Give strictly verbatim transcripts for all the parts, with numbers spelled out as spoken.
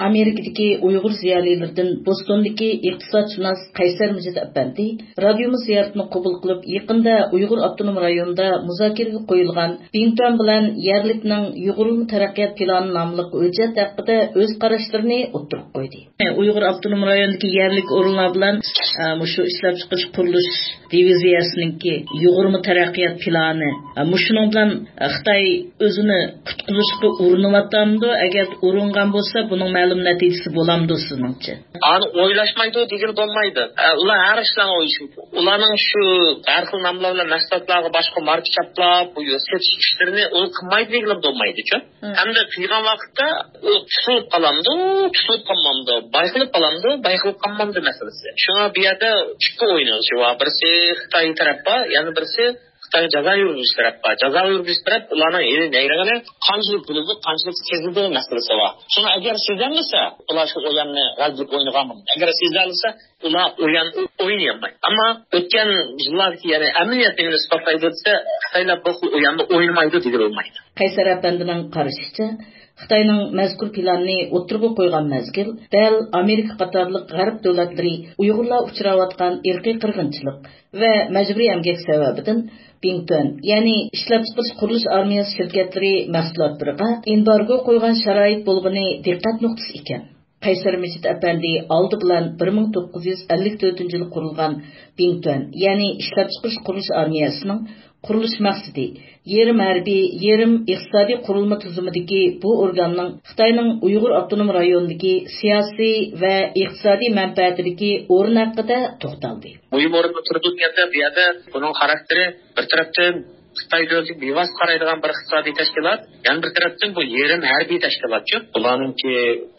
ئامېرىكىدىكى ئۇيغۇر زىيالىيلىرىدىن بوستوندىكى ئىقتىسادشۇناس قەيسەر مىجىت ئەپەندى رادىيومىز زىيارىتىنى قوبۇل قىلىپ، يېقىندا ئۇيغۇر ئاپتونوم رايونىدا مۇزاكىرىگە قويۇلغان بىڭتۈەن بىلەن يەرلىكنىڭ يۇغۇرۇلما تەرەققىيات پىلانى ناملىق ھۆججەت ھەققىدە ئۆز قاراشلىرىنى ئوتتۇرىغا قويدى. ئۇيغۇر ئاپتونوم رايونىدىكى يەرلىك ئورۇنلار بىلەن، ئە، مۇشۇ ئىشلەپچىقىرىش قۇرۇلۇش دىۋىزىيەسىنىڭكى يۇغۇرما تەرەققىيات پىلانى، ئە، مۇشۇنىڭ بىلەن، ئە، خىتاي ئۆزىنى قۇتقۇزۇشقا ئۇرۇنۇۋاتامدۇ؟ ئەگەر ئۇرۇنغان بولسا، بۇنىڭ مەلۇم نەتىجىسى بولامدۇ سىزنىڭچە؟ ئانى ئويلاشمايدۇ دېگىلى بولمايدۇ. ئە، ئۇلار ھەر ئىشلارنى ئويلىشىدۇ. ئۇلارنىڭ شۇ ھەر خىل ناملار بىلەن مەھسۇلاتلارغا باشقا ماركا چاپلاپ، بۇ يەر سېتىش ئىشلىرىنى ئۇ قىلمايدۇ دېگىلى بولمايدۇچۇ. مم. ھەمدە قىلغان ۋاقىتتا ئۇ تۇتۇلۇپ قالامدۇ، تۇتۇلۇپ قالمامدۇ، بايقىلىپ قالامدۇ، بايقىلىپ قالمامدۇ مەسىلىسى. شۇڭا بۇ يەردە ئىككى ئوينىغۇچى بار. بىرسى خىتاي تەرەپ بار، يەنە بىرسى خىتايغا جازا يۈرگۈزۈش تەرەپ بار. جازا يۈرگۈزۈش تەرەپ ئۇلارنىڭ ھېلى نەيرىڭىنى قانچىلىك بىلىدۇ، قانچىلىك سېزىدۇ مەسىلىسى بار. شۇڭا ئەگەر سېزەلمىسە، ئۇلار شۇ ئويۇننى غەلىبىلىك ئوينىغان بولىدۇ. ئەگەر سېزەلىسە، ئۇلار ئويۇن ئوينىيالمايدۇ. ئەمما ئۆتكەن يىللاردىكى، يەنى ئەمەلىيەت نېمىنى ئىسپاتلايدۇ دېسە، خىتايلار بۇ خىل ئويۇننى ئوينىمايدۇ دېگىلى بولمايدۇ. قەيسەر ئەپەندىنىڭ قارىشىچە، خىتاينىڭ مەزكۇر پىلاننى ئوتتۇرىغا قويغان مەزگىل دەل ئامېرىكا قاتارلىق غەرب دۆلەتلىرى ئۇيغۇرلار ئۇچراۋاتقان ئىرقىي قىرغىنچىلىق ۋە مەجبۇرىي ئەمگەك سەۋەبىدىن بىڭتۈەن، يەنى ئىشلەپچىقىرىش قۇرۇلۇش ئارمىيەسى شىركەتلىرى مەھسۇلاتلىرىغا ئېمبارگو قويغان شارائىت بولغىنى دىققەت نۇقتىسى ئىكەن. قەيسەر مىجىت ئەپەندى ئالدى بىلەن بىر مىڭ توققۇز يۈز ئەللىك تۆتىنچى يىلى قۇرۇلغان بىڭتۈەن، يەنى ئىشلەپچىقىرىش قۇرۇلۇش ئارمىيەسىنىڭ قۇرۇلۇش مەقسىتى، يېرىم ھەربىي، يېرىم ئىقتىسادىي قۇرۇلما تۈزۈمىدىكى بۇ ئورگاننىڭ خىتاينىڭ ئۇيغۇر ئاپتونوم رايونىدىكى سىياسىي ۋە ئىقتىسادىي مەنپەئەتىدىكى ئورنى ھەققىدە توختالدى. مۇھىم ئورۇندا تۇرىدۇ دېگەندە، بۇ يەردە بۇنىڭ خاراكتېرى بىر تەرەپتىن خىتاي دۆلىتىگە بىۋاسىتە قارايدىغان بىر ئىقتىسادىي تەشكىلات، يەنە بىر تەرەپتىن بۇ يېرىم ھەربىي تەشكىلاتچۇ. بۇلارنىڭكى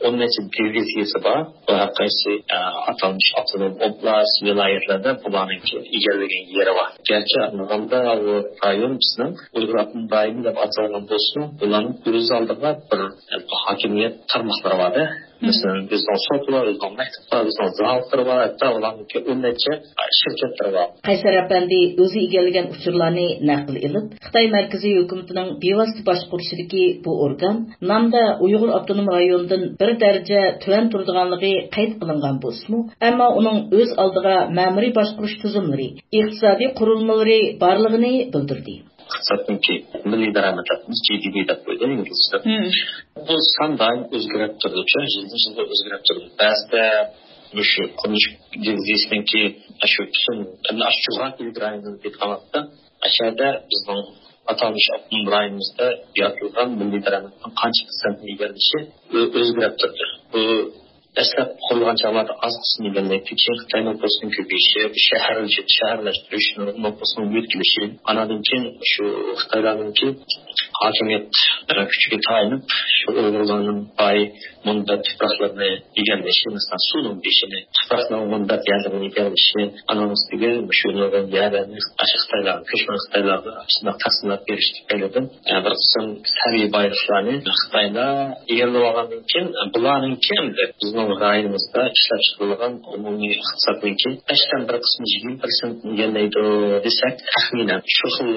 ئون نەچچە دىۋىزىيىسى بار. بۇ ھەر قايسى، ئە، ئاتالمىش ئاپتونوم ئوبلاست، ۋىلايەتلەردە بۇلارنىڭكى ئىگىلىگەن يېرى بار. گەرچە ئاڭلىغاندا بۇ رايون بىزنىڭ ئۇيغۇر ئاپتونوم رايونى دەپ ئاتالغان بولسىمۇ، بۇلارنىڭ ئۆز ئالدىغا بىر، ئە، ھاكىمىيەت تارماقلىرى بار-دە. مەسىلەن، بىزنىڭ سوت بار، بىزنىڭ مەكتەپ بار، بىزنىڭ زاۋۇتلار بار، ھەتتا ئۇلارنىڭكى ئون نەچچە شىركەتلىرى بار. قەيسەر ئەپەندى ئۆزى ئىگىلىگەن ئۇچۇرلارنى نەقىل ئېلىپ، خىتاي مەركىزىي ھۆكۈمىتىنىڭ بىۋاسىتە باشقۇرۇشىدىكى بۇ ئورگان نامدا ئۇيغۇر ئاپتونوم رايونىدىن بىر دەرىجە تۆۋەن تۇرىدىغانلىقى قەيت قىلىنغان بولسىمۇ، ئەمما ئۇنىڭ ئۆز ئالدىغا مەمۇرىي باشقۇرۇش تۈزۈملىرى، ئىقتىسادىي قۇرۇلمىلىرى بارلىقىنى بىلدۈردى. ئىقتىسادنىڭكى مىللىي دارامەتلىرىمىز، جى دى پى دەپ قويىدۇ ئىنگلىزچە. بۇ سان دائىم ئۆزگىرىپ تۇرىدۇ، يىلدىن يىلغا ئۆزگىرىپ تۇرىدۇ. بەزىدە مۇشۇ قۇرۇلۇش دىۋىزىيىسىنىڭكى شۇ پۈتۈن، ئەمدى ئاشۇ جۇغراپىيەلىك رايونىنى ئېيتقان ۋاقىتتا، ئەشەدە بىزنىڭ ئاتالمىش ئاپتونوم رايونىمىزدا يارىتىلغان مىللىي دارامەتنىڭ قانچە پىرسەنتنى ئىگىلىشى ئۆ-، ئۆزگىرىپ تۇرىدۇ. بۇ دەسلەپ قۇرۇلغان چاغلاردا ئاز قىسىم ئىگىلەيتتى. كېيىن خىتاي نوپۇسىنىڭ كۆپىيىشى، شەھەر-، شەھەرلەشتۈرۈش، نوپۇسنىڭ يۆتكىلىشى، ئاناندىن كېيىن شۇ خىتايلارنىڭكى ھاكىمىيەت كۈچىگە تايىنىپ، شۇ ئۇيغۇرلارنىڭ باي مۇنبەت تۇپراقلىرىنى ئىگىلىشى، مەسىلەن، سۇنىڭ بېشىنى، تۇپراقنىڭ مۇنبەت يەرلىرىنى ئىگىلىشى، ئانىڭ ئۈستىگە شۇ نۇرغۇن يەرلەرنى ئاشۇ خىتايلارغا، كۆچمەن خىتايلارغا شۇنداق تەقسىملەپ بېرىش تۈپەيلىدىن، ئە، بىر قىسىم سەۋىيە بايلىقلارنى خىتايلار ئىگىلىۋالغاندىن كېيىن، بۇلارنىڭكى ئەمدى بىزنىڭ رايونىمىزدا ئىشلەپچىقىرىلغان ئومۇمىي ئىقتىسادنىڭكى بەشتىن بىر قىسمى، يىگىرمە پىرسەنت ئىگىلەيدۇ دېسەك، تەخمىنەن شۇ خىل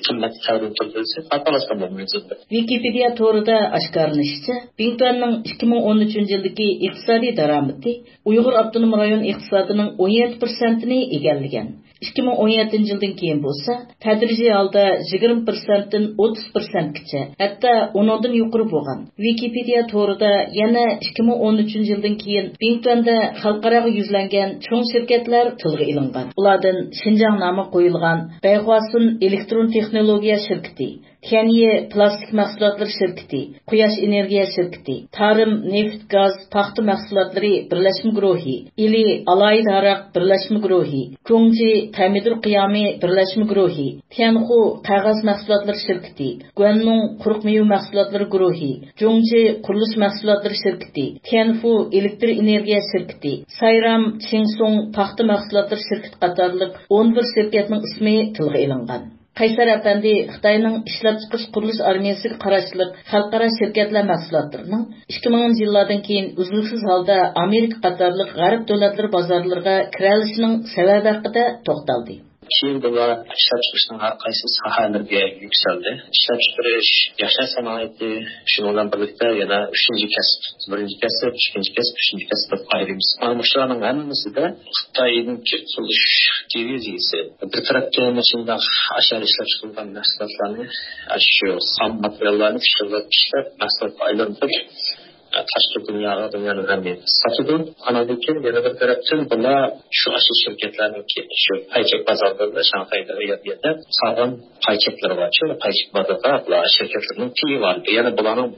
قىممەتكە تەۋرىنىپ تۇرىدۇ دېسەك، خاتالاشقان بولمايمىز. ۋىكىپېدىيە تورىدا ئاشكارىلىنىشىچە، بىڭتۈەننىڭ ئىككى مىڭ ئون ئۈچىنچى يىلدىكى ئىقتىسادىي دارامىتى ئۇيغۇر ئاپتونوم رايون ئىقتىسادىنىڭ ئون يەتتە پىرسەنتىنى ئىگىلىگەن. ئىككى مىڭ ئون يەتتىنچى يىلدىن كېيىن بولسا، تەدرىجىي ھالدا يىگىرمە پىرسەنتتىن ئوتتۇز پىرسەنتكىچە، ھەتتا ئۇنىڭدىن يۇقىرى بولغان. ۋىكىپېدىيە تورىدا يەنە ئىككى مىڭ ئون ئۈچىنچى يىلدىن كېيىن بىڭتۈەندە خەلقئاراغا يۈزلەنگەن چوڭ شىركەتلەر تىلغا ئېلىنغان. ئۇلاردىن شىنجاڭ نامى قويۇلغان بەيخۇاسۈن ئېلېكترون تېخنولوگىيە شىركىتى، تيەنيې پىلاستىك مەھسۇلاتلىرى شىركىتى، قۇياش ئېنېرگىيە شىركىتى، تارىم نېفىت، گاز، پاختا مەھسۇلاتلىرى بىرلەشمە گۇرۇھى، ئىلى ئالاھىدە ھاراق بىرلەشمە گۇرۇھى، جۇڭجى تەمىدۇر قىيامى بىرلەشمە گۇرۇھى، تيەنخۇ قەغەز مەھسۇلاتلىرى شىركىتى، گۇەننۇڭ قۇرۇق مېۋە مەھسۇلاتلىرى گۇرۇھى، جۇڭجى قۇرۇلۇش مەھسۇلاتلىرى شىركىتى، تيەنفۇ ئېلېكتر ئېنېرگىيە شىركىتى، سايرام چىڭسۇڭ پاختا مەھسۇلاتلىرى شىركىتى قاتارلىق ئون بىر شىركەتنىڭ ئىسمى تىلغا ئېلىنغان. قەيسەر ئەپەندى خىتاينىڭ ئىشلەپچىقىرىش قۇرۇلۇش ئارمىيەسىگە قاراشلىق خەلقئارا شىركەتلەر مەھسۇلاتلىرىنىڭ ئىككى مىڭىنچى يىللاردىن كېيىن ئۈزلۈكسىز ھالدا ئامېرىكا قاتارلىق غەرب دۆلەتلىرى بازارلىرىغا كىرەلىشىنىڭ سەۋەبى ھەققىدە توختالدى. كېيىن بۇلار ئىشلەپچىقىرىشنىڭ ھەر قايسى ساھەلىرىگە يۈكسەلدى. ئىشلەپچىقىرىش، ياشاش سانائىتى، شۇنىڭ بىلەن بىرلىكتە يەنە ئۈچىنچى كەسىپ، بىرىنچى كەسىپ، ئىككىنچى كەسىپ، ئۈچىنچى كەسىپ دەپ ئايرىمىز. مانا مۇشۇلارنىڭ ھەممىسىدە خىتاينىڭكى قۇرۇلۇش دىۋىزىيىسى بىر تەرەپتىن مۇشۇنداق ئاشۇ ئىشلەپچىقىرىلغان مەھسۇلاتلارنى، ئاشۇ خام ماتېرىياللارنى پىششىقلاپ ئىشلەپ، مەھسۇلاتقا ئايلاندۇرۇپ، تاشقى دۇنياغا، دۇنيانىڭ ھەممە يېرىگە ساتىدۇ. ئاندىن كېيىن يەنە بىر تەرەپتىن بۇلار شۇ ئاشۇ شىركەتلەرنىڭكى شۇ پايچەك بازارلىرىدا، شاڭخەيدە، ئۇ يەردە سالغان پايچەكلىرى بار. شۇ پايچەك بازاردا بۇلار شىركەتلەرنىڭ پېيى بار. يەنە بۇلارنىڭ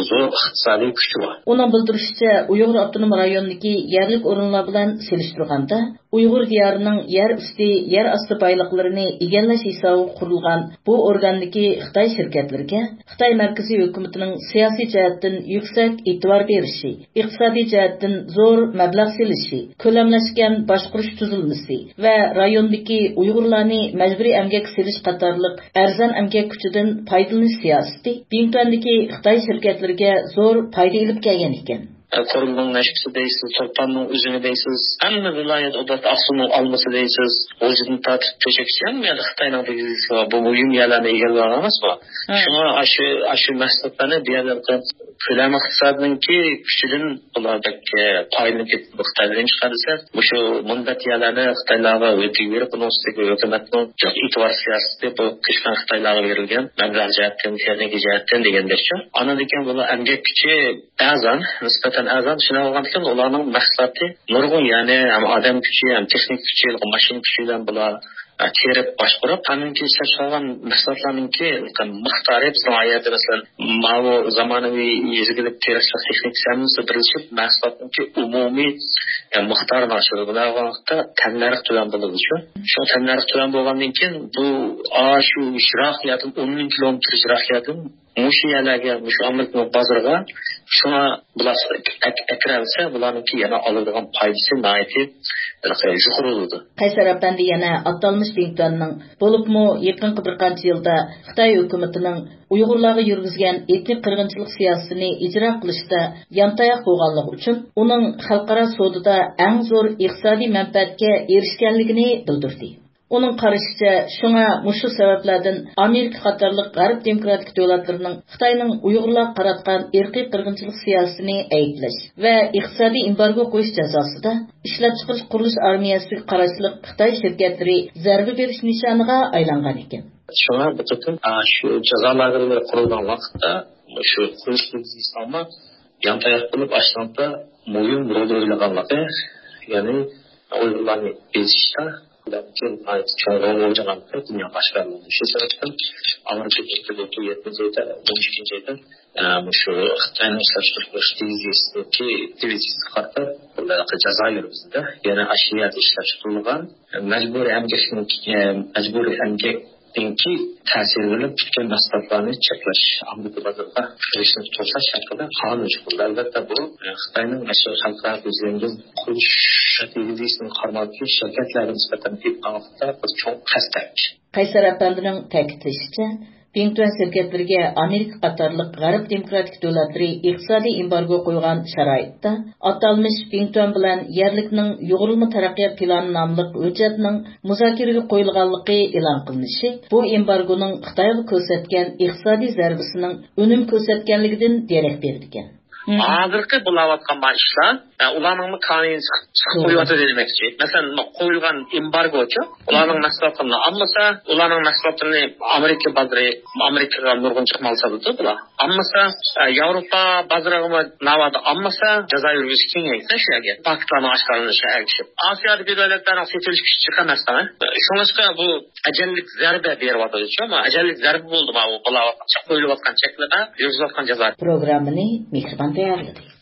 زور ئىقتىسادىي كۈچى بار. ئۇنىڭ بىلدۈرۈشىچە، ئۇيغۇر ئاپتونوم رايونىدىكى يەرلىك ئورۇنلار بىلەن سېلىشتۇرغاندا، ئۇيغۇر دىيارىنىڭ يەر ئۈستى، يەر ئاستى بايلىقلىرىنى ئىگىلەش ھېسابىغا قۇرۇلغان بۇ ئورگاندىكى خىتاي شىركەتلىرىگە خىتاي مەركىزىي ھۆكۈمىتىنىڭ سىياسىي جەھەتتىن يۈكسەك ئېتىبار بېرىشى، ئىقتىسادىي جەھەتتىن زور مەبلەغ سېلىشى، كۆلەملەشكەن باشقۇرۇش تۈزۈلمىسى ۋە رايوندىكى ئۇيغۇرلارنى مەجبۇرىي ئەمگەككە سېلىش قاتارلىق ئەرزان ئەمگەك كۈچىدىن پايدىلىنىش سىياسىتى بىڭتۈەندىكى خىتاي شىركەتلىرىگە زور پايدا ئېلىپ كەلگەن ئىكەن. قۇرۇلمىنىڭ نەشپۈتى دەيسىز، تۇرپاننىڭ ئۈزۈمى دەيسىز، ھەممە ۋىلايەت ئوبلاست، ئاقسۇنىڭ ئالمىسى دەيسىز، غۇلجىدىن تارتىپ تۆشەككىچە ھەممە يەردە خىتاينىڭ دىۋىزىيىسى بار. بۇ مۇھىم يەرلەرنى ئىگىلىۋالغان ئەمەسمۇ؟ ھە. شۇڭا ئاشۇ، ئاشۇ مەھسۇلاتلارنى بۇ يەردە كۆلەم ئىقتىسادىنىڭكى كۈچىدىن بۇلار بەك، ئە، پايدىلىنىپ كېتىدۇ. خىتايلار نېمە چىقاردى دېسە، مۇشۇ مۇنبەت يەرلەرنى خىتايلارغا ئۆتۈۋېرىپ، ئۇنىڭ ئۈستىگە ھۆكۈمەتنىڭ ئېتىبار سىياسىتى، بۇ قىچقان خىتايلارغا بېرىلگەن مەبلەغ جەھەتتىن، تېخنىكا جەھەتتىن دېگەندەكچۇ. ئاندىن كېيىن بۇلار ئەمگەك كۈچى ئەرزان، نىسبەتەن ئەرزان. شۇنداق بولغاندىكىن ئۇلارنىڭ مەھسۇلاتى نۇرغۇن، يەنى ھەم ئادەم كۈچى، ھەم تېخنىكا كۈچى، ماشىنا كۈچى بىلەن بۇلار، ئە، تېرىپ باشقۇرۇپ، ئاندىن كېيىن ئىشلەپچىقارغان مەھسۇلاتلارنىڭكى مىقدارى بىزنىڭ ئايەردە، مەسىلەن، ماۋۇ زامانىۋى يېزا ئىگىلىك تېرىقچىلىق تېخنىكىسى ھەممىسى بىرلىشىپ مەھسۇلاتنىڭكى ئومۇمىي، ئە، مىقدارىنى ئاشۇرىدۇ. بۇنداق بولغاندا تەننەرخ تۆۋەن بولىدۇ شۇ. شۇ تەننەرخ تۆۋەن بولغاندىن كېيىن بۇ، ئاشۇ يىراق يەردىن، ئون مىڭ كىلومېتىر يىراق يەردىن مۇشۇ يەرلەرگە، مۇشۇ ئامېرىكىنىڭ بازىرىغا شۇڭا بۇلار ئەك-، ئەكىرەلسە، بۇلارنىڭكى يەنە ئالىدىغان پايدىسى ناھايىتى يۇقىرى بولىدۇ. قەيسەر ئەپەندى يەنە ئاتالمىش بىڭتۈەننىڭ، بولۇپمۇ يېقىنقى بىر قانچە يىلدا خىتاي ھۆكۈمىتىنىڭ ئۇيغۇرلارغا يۈرگۈزگەن ئېتنىك قىرغىنچىلىق سىياسىتىنى ئىجرا قىلىشتا يانتاياق بولغانلىقى ئۈچۈن، ئۇنىڭ خەلقئارا سودىدا ئەڭ زور ئىقتىسادىي مەنپەئەتكە ئېرىشكەنلىكىنى بىلدۈردى. ئۇنىڭ قارىشىچە، شۇڭا مۇشۇ سەۋەبلەردىن ئامېرىكا قاتارلىق غەرب دېموكراتىك دۆلەتلىرىنىڭ خىتاينىڭ ئۇيغۇرلارغا قاراتقان ئىرقىي قىرغىنچىلىق سىياسىتىنى ئەيىبلەش ۋە ئىقتىسادىي ئېمبارگو قويۇش جازاسىدا ئىشلەپچىقىرىش قۇرۇلۇش ئارمىيەسىگە قاراشلىق خىتاي شىركەتلىرى زەربە بېرىش نىشانىغا ئايلانغان ئىكەن. شۇڭا بۇ قېتىم، ئا، شۇ جازا لاگېرلىرى قۇرۇلغان ۋاقىتتا شۇ قۇرۇلۇش دىۋىزىيىسىنىڭمۇ يانتاياق بولۇپ، ئاشۇنىڭدا مۇھىم رول ئوينىغانلىقى، يەنى ئۇيغۇرلارنى بېسىشتا چوڭ رول ئوينىغانلىقى دۇنياغا ئاشكارىلاندى. شۇ سەۋەبتىن ئامېرىكا بۇ يەتتىنچى ئايدا، ئون ئىككىنچى ئايدا، ئە، مۇشۇ خىتاينىڭ ئىشلەپچىقىرىش دىۋىزىيىسىدىكى، دىۋىزىيىسىگە قارىتا بۇنداق جازا يۈرگۈزدى. يەنە ئاشۇ يەردە ئىشلەپچىقىرىلغان مەجبۇرىي ئەمگەكنىڭ، ئە، مەجبۇرىي ئەمگەك دىنكى تەسىر بىلەن پۈتكەن مەھسۇلاتلارنى چەكلەش، ئامېرىكا بازىرىغا كىرىشنى توساش ھەققىدە قانۇن چىقىرىلدى. ئەلۋەتتە، بۇ، ئە، خىتاينىڭ مەشرىقىي خەلقئارا يۈزلەنگەن قۇرۇلۇش دىۋىزىيىسىنىڭ قارماقتىكى شىركەتلەرگە نىسبەتەن ئېلىپ بارغاندا بىر چوڭ پەستەك. قەيسەر ئەپەندىنىڭ تەكىتلىشىچە، بىڭتۈەن شىركەتلىرىگە ئامېرىكا قاتارلىق غەرب دېموكراتىك دۆلەتلىرى ئىقتىسادىي ئېمبارگو قويغان شارائىتتا، ئاتالمىش بىڭتۈەن بىلەن يەرلىكنىڭ يۇغۇرۇلما تەرەققىيات پىلانى ناملىق ھۆججەتنىڭ مۇزاكىرىگە قويۇلغانلىقى ئېلان قىلىنىشى بۇ ئېمبارگونىڭ خىتايغا كۆرسەتكەن ئىقتىسادىي زەربىسىنىڭ ئۈنۈم كۆرسەتكەنلىكىدىن دېرەك بېرىدىكەن. مم. ھازىرقى بولاۋاتقان ما ئىشلار، ئە، ئۇلارنىڭمۇ قانۇنىنى چىقىپ، چىقىپ توغرا. قويۇۋاتىدۇ دېمەكچى. مەسىلەن، ما قويۇلغان ئېمبارگوچۇ، ئۇلارنىڭ مەھسۇلاتلىرىنى ئالمىسا، ئۇلارنىڭ مەھسۇلاتلىرىنى ئامېرىكا بازىرى، ئامېرىكىغا نۇرغۇنچە مال ساتىدۇ بۇلار. ئالمىسا، ئە، ياۋروپا بازىرىغىمۇ ناۋادا ئالمىسا، جازا يۈرگۈزۈش كېڭەيسە شۇ يەرگە. پاكىتلارنىڭ ئاشكارىلىنىشىغا ئەگىشىپ. ئاسىيادىكى دۆلەتلەرنىڭ سېتىلىش كۈچى جىق ئەمەس. شۇڭلاشقا بۇ ئەجەللىك زەربە بېرىۋاتىدۇ، شۇ، ئەجەللىك زەربە بولدى، ماۋۇ بولاۋاتقان، قويۇلۇۋاتقان چەكلىمە، يۈرگۈزۈۋاتقان جازا. پروگراممىنى مېھرىبان تەييارلىدى.